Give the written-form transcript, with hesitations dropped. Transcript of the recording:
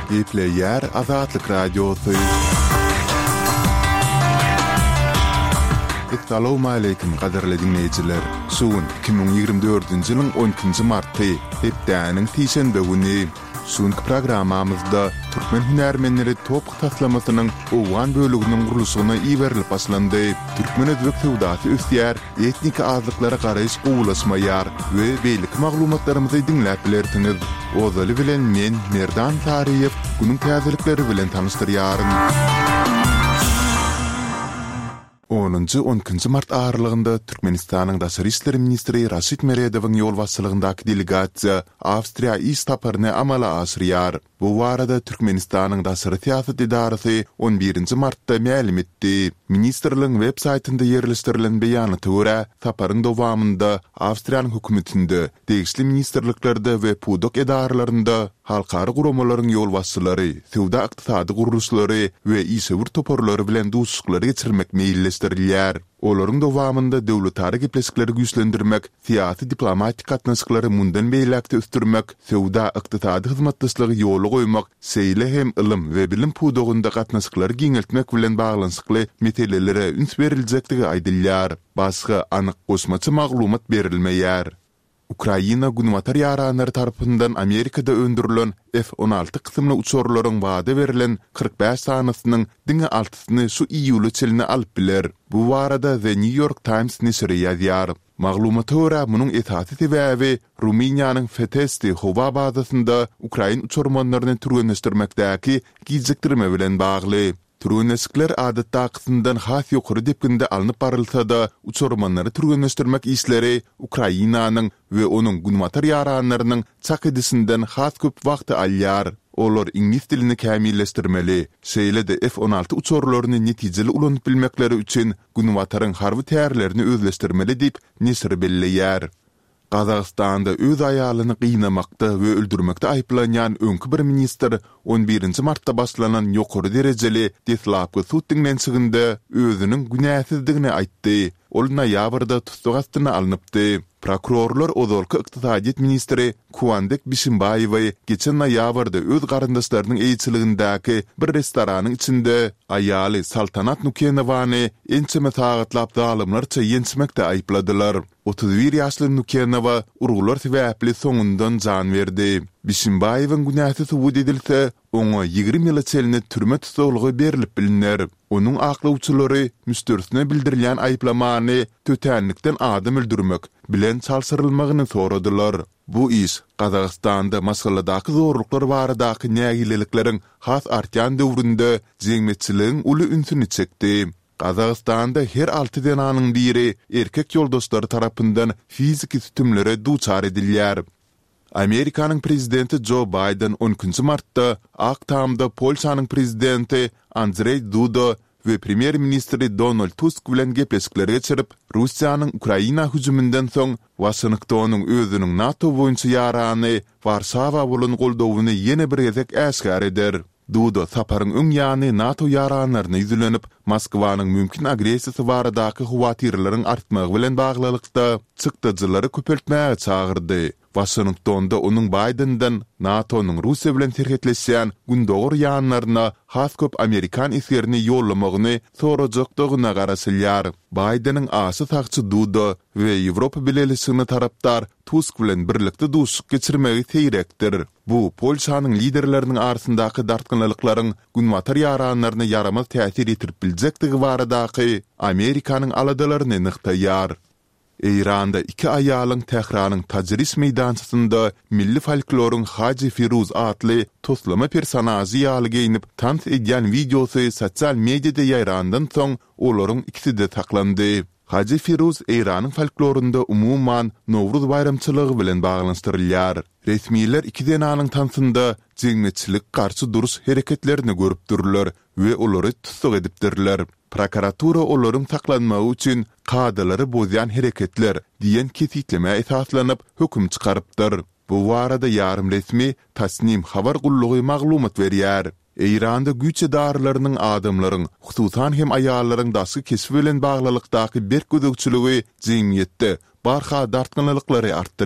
Gepleýär Azatlyk Radiosy. Essalawmaleýkim gadyrly diňleýjiler! Şu gün 2024-nji ýylyň on ikinji marty, hepdäniň sişenbe güni. Şu günki programmamyzda türkmen hünärmenleri TOPH taslamasynyň owgan böleginiň gurluşygyna iberilip başlandy. Türkmen-özbek söwdasy ösýär, etniki azlyklara garaýyş gowulaşmaýar we beýleki maglumatlarymyzy diňläp bilersiňiz. Ozaly bilen men, Merdan Saryýew, günüň täzelikleri bilen tanyşdyrýaryn. Onunjy, on ikinji mart aralygynda Türkmenistanyň daşary işler ministri Raşid Meredowyň ýolbaşçylygyndaky delegasiýa Awstriýa iş saparyny amala aşyrýar. Bu barada Türkmenistanyň daşary syýasat edarasy on birinji martda mälim etdi. Ministrligiň web saýtynda ýerleşdirilen beýanata görä, saparyň dowamynda Awstriýanyň hökümetinde, degişli ministrliklerde we pudak edaralarynda halkara guramalaryň ýolbaşçylary, söwda-ykdysady gurluşlary we işewür toparlary bilen duşuşyklary geçirmek meýilleşdirilýär. Olaryň dowamynda döwletara gepleşikleri güýçlendirmek, syýasy-diplomatik gatnaşyklary mundan beýläk-de ösdürmek, söwda-ykdysady hyzmatdaşlygy ýola goýmak, şeýle hem ylym we bilim pudagynda gatnaşyklary giňeltmek bilen baglanyşykly meselelere üns beriljekdigi aýdylýar. Başga anyk goşmaça maglumat berilmeýär. Ukraina günbatar ýaranlary tarapyndan Amerikada öndürilen F-on alty kysymly uçarlaryň wada berlen 45 sanysynyň diňe altysyny şu iýula çenli alyp biler. Bu barada The New York Times neşiri ýazýar. Maglumata görä, munuň esasy sebäbi Rumyniýanyň Fetesti howa bazasynda ukrain uçarmanlaryny türgenleşdirmekdäki gijikdirme bilen bagly. Türgenleşikler adatdakysyndan has ýokary depginde alnyp barylsa-da, uçarmanlary türgenleşdirmek işleri Ukrainanyň we onuň günbatar ýaranlarynyň çak edişinden has köp wagty alýar. Olar iňlis dilini kämilleşdirmeli, şeýle-de F-on alty uçarlaryny netijeli ulanyp bilmekleri üçin Günbataryň harby tärlerini özleşdirmeli diýip, neşir belleýär. Gazagystanda öz aýalyny gynamakda we öldürmekde aýyplanýan öňki bir ministr on birinji martda başlanan ýokary derejeli deslapky sud diňlenişiginde özüniň günäsizdigini aýtdy. Ol noýabrda tussag astyna alnypdy. Prokurorlar ozalky ykdysadyýet ministri Kuandek Bişimbaýewi geçen noýabrda öz garyndaşlarynyň eýeçiligindäki bir restoranyň içinde aýaly Saltanat Nukenowany ençeme sagatlap zalymlarça ýençmekde aýypladylar. 31 ýaşly Nukenowa urgular sebäpli soňundan jan berdi. Bişimbaýewiň günäsi subut edilse, oňa 20 ýyla çenli türme tussaglygy berlip bilner. Onuň aklawçylary müşderisine bildirilýän aýyplamany tötänlikden adam öldürmek bilen çalşyrylmagyny soradylar. Bu iş Gazagystanda maşgaladaky zorluklar baradaky nägilelikleriň has artýan döwründe jemgyýetçiligiň uly ünsüni çekdi. Gazagystanda her alty zenanyň biri erkek ýoldaşlary tarapyndan fiziki sütümlere duçar edilýär. Amerikanyň prezidenti Jo Baýden on ikinji martda Ak Tamda Polşanyň prezidenti Andrzej Duda we premýer-ministri Donald Tusk bilen gepleşikler geçirip, Russiýanyň Ukraina hüjüminden soň Waşingtonyň özüniň NATO boýunça ýarany Warşawa bolan goldawyny ýene bir gezek äşgär eder. Duda saparyň öň ýany NATO ýaranlaryna ýüzlenip, Moskwanyň mümkin agressiýasy baradaky howatyrlaryň artmagy bilen baglylykda, çykdajylary köpeltmäge çagyrdy. Waşingtonda onuň Baýdenden NATO-nyň Russiýa bilen serhetleşýän gündogar ýanlaryna has köp amerikan esgerini ýollamagyny sorajakdygyna garaşylýar. Baýdeniň aşa sagçy Duda we Ýewropa Bileleşigine tarapdar Tusk bilen birlikde duşuşyk geçirmegi seýrekdir. Bu Polşanyň liderleriniň arasyndaky dartgynlylyklaryň Günbatar ýaranlaryna ýaramaz täsir ýetirip biljekdigi baradaky Amerikanyň aladalaryny nygtaýar. Eýranda iki aýalyň Tähranyň Tajriş meýdançasynda milli folkloryň Haji Firuz atly toslama personažy ýaly geýnip tans edýän wideosy sosial mediada ýaýrandan soň olaryň ikisi-de saklandy. Haji Firuz Eýranyň folklorynda umuman Nowruz baýramçylygy bilen baglanyşdyrylýar. Resmiler iki zenanyň tansynda jemgyýetçilik garşy duruş hereketlerini görüpdirler we olary tussag edipdirler. Prokuratura olaryň saklanmagy üçin kadalary bozýan hereketler diýen kesgitlemä esaslanyp, höküm çykarypdyr. Bu barada ýarym resmi Tasnim habar gullugy maglumat berýär. Eýranda güýç edaralarynyň adamlaryň, hususan hem aýallaryň daşky keşbi bilen baglylykdaky berk gözegçiligi jemgyýetde barha dartgynlylyklary artdyrýar.